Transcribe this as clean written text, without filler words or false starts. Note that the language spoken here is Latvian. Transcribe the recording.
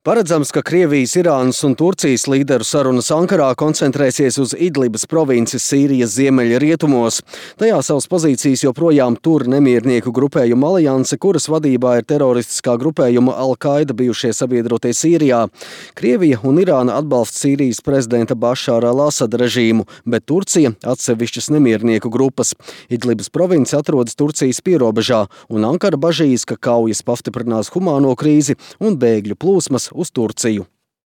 Paredzams, ka Krievijas, Irānas un Turcijas līderu sarunas Ankarā koncentrēsies uz Idlibas provinces Sīrijas ziemeļrietumos. Tajā savas pozīcijas joprojām tur nemiernieku grupējuma alianse, kuras vadībā ir teroristiskā grupējuma Al-Qaida bijušie sabiedrotie Sīrijā. Krievija un Irāna atbalsta Sīrijas prezidenta Bašāra al-Asada režīmu, bet Turcija atsevišķas nemiernieku grupas. Idlibas province atrodas Turcijas pierobežā, un Ankara bažīs, ka kaujas pastiprinās humāno krīzi un bēgļu plūsmas uz Turciju.